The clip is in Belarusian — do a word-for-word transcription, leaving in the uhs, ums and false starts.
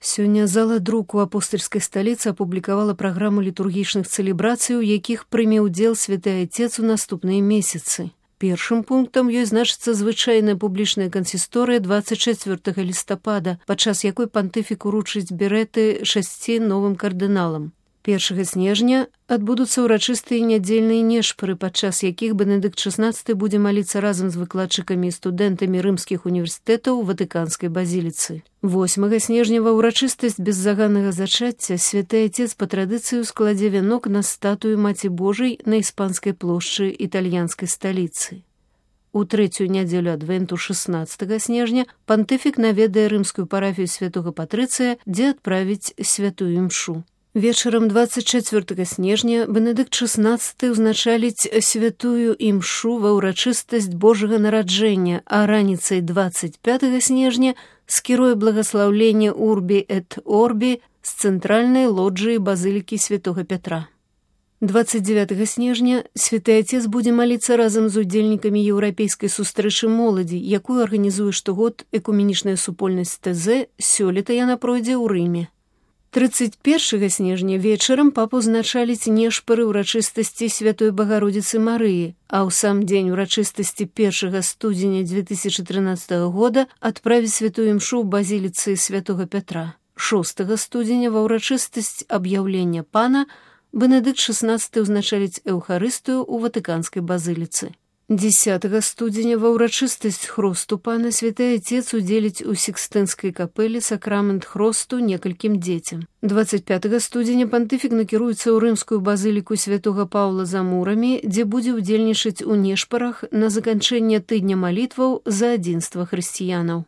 Сёння зала друку апостальскай сталіцы апублікавала праграму літургічных цэлебрацый, у якіх прыме ўдзел святы Айцец у наступныя месяцы. Першым пунктам ёй значыцца звычайная публічная кансісторыя дваццаць чацвёртага лістапада, падчас якой пантыфік уручыць берэты шасці новым кардыналам. Першага снежня адбудуцца ўрачыстыя нядзельныя нешпары, падчас якіх Бенедыкт шаснаццаты будзе маліцца разам з выкладчыкамі і студэнтамі рымскіх універсітэтаў у Ватыканскай базіліцы. восьмага снежня ва ўрачыстасць беззаганнага зачацця святы Айцец па традыцыі складзе вянок на статую Маці Божай на іспанскай плошчы італьянскай сталіцы. У трэцюю нядзелю адвенту шаснаццатага снежня пантыфік наведае рымскую парафію святога Патрыцыя, дзе адправіць святую імшу. Вечарам дваццаць чацвёртага снежня Бенедыкт шаснаццаты ўзначаліць святую імшу ва ўрачыстасць Божага нараджэння, а раніцай дваццаць пятага снежня скіруе благаслаўленне Урбі эт Орбі з цэнтральнай лоджыі базылікі святога Пятра. дваццаць дзевятага снежня святы Айцец будзе маліцца разам з удзельнікамі еўрапейскай сустрэчы моладзі, якую арганізуе штогод экуменічная супольнасць тэ зэ, сёлета яна пройдзе ў Рыме. трыццаць першага снежня вечарам папу ўзначаліць нешпары ўрачыстасці святой Багародзіцы Марыі, а ў сам дзень урачыстасці першага студзеня дзве тысячы трынаццатага года адправіць святую імшу ў базіліцы святога Пятра. шостага студзеня ва ўрачыстасць аб'яўлення пана Бенедыкт шаснаццаты ўзначаліць эўхарыстыю ў Ватыканскай базіліцы. дзесятага студзеня ва ўрачыстасць хросту пана святы Айцец удзеліць у Сікстынскай капэлі сакрамент хросту некалькім дзецям. дваццаць пятага студзеня пантыфік накіруецца ў рымскую базыліку святога Паўла за мурамі, дзе будзе ўдзельнічаць у нешпарах на заканчэнне тыдня малітваў за адзінства хрысціянаў.